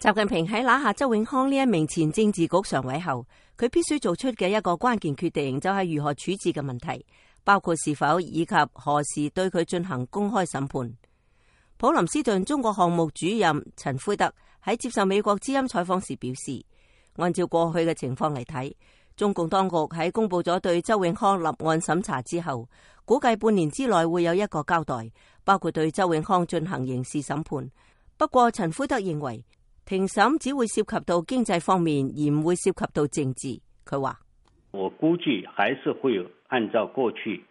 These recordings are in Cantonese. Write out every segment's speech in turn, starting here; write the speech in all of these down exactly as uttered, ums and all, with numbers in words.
習近平喺拿下周永康呢一名前政治局常委後，佢必須做出嘅一個關鍵決定就係如何處置嘅問題，包括是否以及何時對佢進行公開審判。普林斯頓中國項目主任陳灰德喺接受美國之音採訪時表示，按照過去嘅情況嚟睇，中共當局喺公布咗對周永康立案審查之後，估計半年之內會有一個交代，包括對周永康進行刑事審判。不過陳灰德認為，庭審只會涉及到經濟方面，而唔會涉及到政治。佢話：我估計還是會有按照過去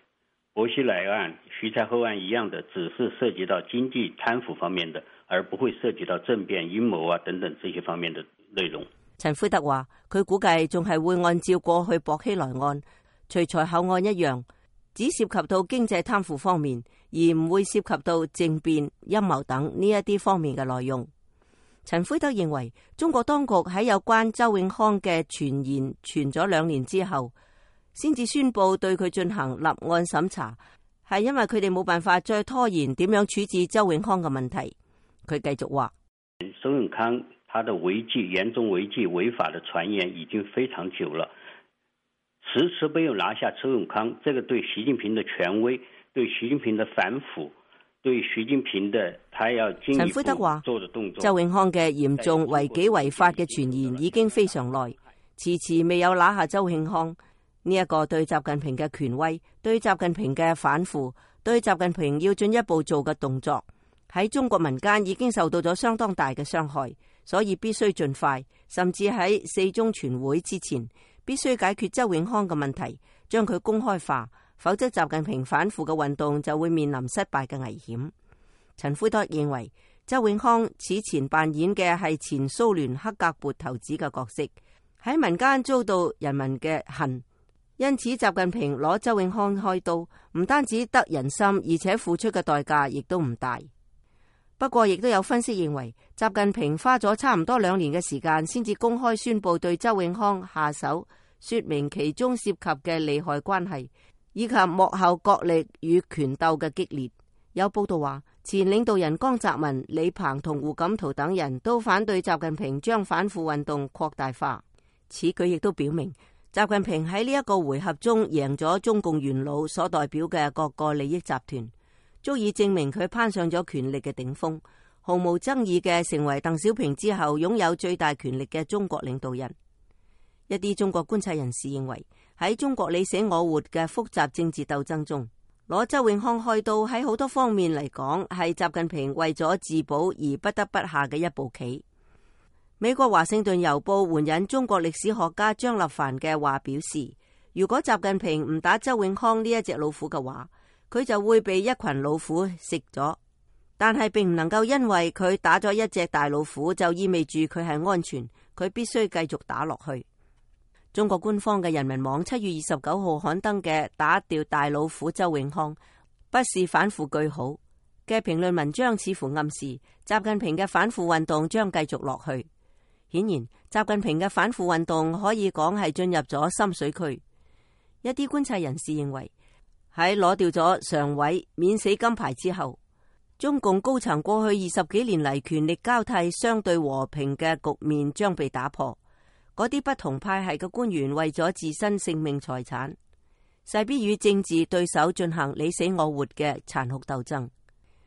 薄熙來案、徐才厚案一樣的，只是涉及到經濟貪腐方面的，而不會涉及到政變陰謀啊等等這些方面的內容。陳灰德話：佢估計仲係會按照過去薄熙來案、徐才厚案一樣，只涉及到經濟貪腐方面，而唔會涉及到政變陰謀等呢一啲方面嘅內容。陳灰德認為，中國當局喺有關周永康嘅傳言傳咗兩年之後，先至宣布對佢進行立案審查，係因為佢哋冇辦法再拖延點樣處置周永康嘅問題。佢繼續話：周永康他的違紀、嚴重違紀、違法的傳言已經非常久了，遲遲沒有拿下周永康，這個對習近平的權威、對習近平的反腐、對習近平的他要進一步做的動作。周永康嘅嚴重違紀違法嘅傳言已經非常耐，遲遲未有拿下周永康，呢、這、一個對習近平嘅權威、對習近平嘅反腐、對習近平要進一步做嘅動作，喺中國民間已經受到咗相當大嘅傷害，所以必須盡快，甚至喺四中全會之前，必須解決周永康嘅問題，將佢公開化。否則習近平反腐嘅運動就會面臨失敗嘅危險。陳灰德認為，周永康此前扮演嘅係前蘇聯克格勃頭子嘅角色，喺民間遭到人民嘅恨，因此習近平攞周永康開刀，唔單止得人心，而且付出嘅代價亦都唔大。不過亦都有分析認為，習近平花咗差唔多兩年嘅時間先至公開宣布對周永康下手，說明其中涉及嘅利害關係，以及幕後角力與權鬥嘅激烈。有報道話，前領導人江澤民、李鵬同胡錦濤等人都反對習近平將反腐運動擴大化。此舉亦都表明，習近平喺呢一個回合中贏咗中共元老所代表嘅各個利益集團，足以證明佢攀上咗權力嘅頂峰，毫無爭議嘅成為鄧小平之後擁有最大權力嘅中國領導人。一啲中國觀察人士認為，喺中國你死我活嘅複雜政治鬥爭中，攞周永康開刀喺好多方面嚟講，係習近平為咗自保而不得不下嘅一步棋。美國華盛頓郵報援引中國歷史學家張立凡嘅話表示，如果習近平唔打周永康呢一隻老虎嘅話，佢就會被一群老虎食咗。但係並唔能夠因為佢打咗一隻大老虎就意味住佢係安全，佢必須繼續打落去。中國官方嘅人民網七月二十九號刊登嘅打掉大老虎周永康，不是反腐句號嘅評論文章，似乎暗示習近平嘅反腐運動將繼續落去。顯然，習近平嘅反腐運動可以講係進入咗深水區。一啲觀察人士認為，喺攞掉咗常委免死金牌之後，中共高層過去二十幾年嚟權力交替相對和平嘅局面將被打破。嗰啲不同派系嘅官員為咗自身性命財產，勢必與政治對手進行你死我活嘅殘酷鬥爭。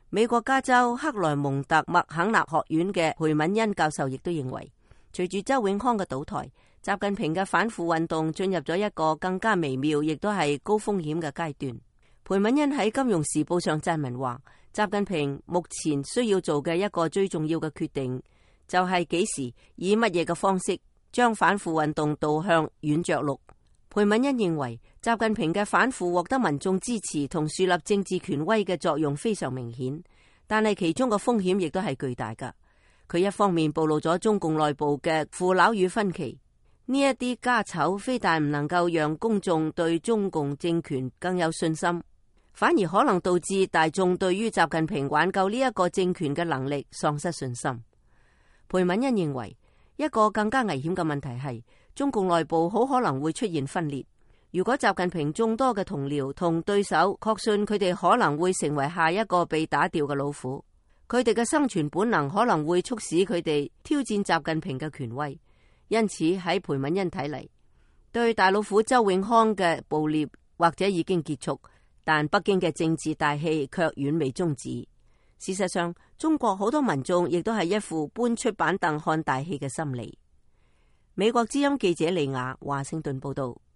美國加州克萊蒙特麥肯納學院嘅裴敏恩教授亦都認為，隨住周永康嘅倒台，習近平嘅反腐運動進入咗一個更加微妙，亦都係高風險嘅階段。裴敏恩喺《金融時報》上撰文話，習近平目前需要做嘅一個最重要嘅決定，就係幾時以乜嘢嘅方式將反腐運動導向軟着陸。裴敏恩認為，習近平嘅反腐獲得民眾支持同樹立政治權威嘅作用非常明顯，但係其中嘅風險亦都係巨大㗎。佢一方面暴露咗中共內部嘅腐朽與分歧，呢一啲家醜非但唔能夠讓公眾對中共政權更有信心，反而可能導致大眾對於習近平挽救呢一個政權嘅能力喪失信心。裴敏恩認為，一個更加危險嘅問題係，中共內部好可能會出現分裂。如果習近平眾多嘅同僚同對手確信佢哋可能會成為下一個被打掉嘅老虎，佢哋嘅生存本能可能會促使佢哋挑戰習近平嘅權威。因此喺裴敏欣睇嚟，對大老虎周永康嘅捕獵或者已經結束，但北京嘅政治大戲卻遠未終止。事實上，中國好多民眾亦都係一副搬出板凳看大戲嘅心理。美國之音記者李雅華盛頓報道。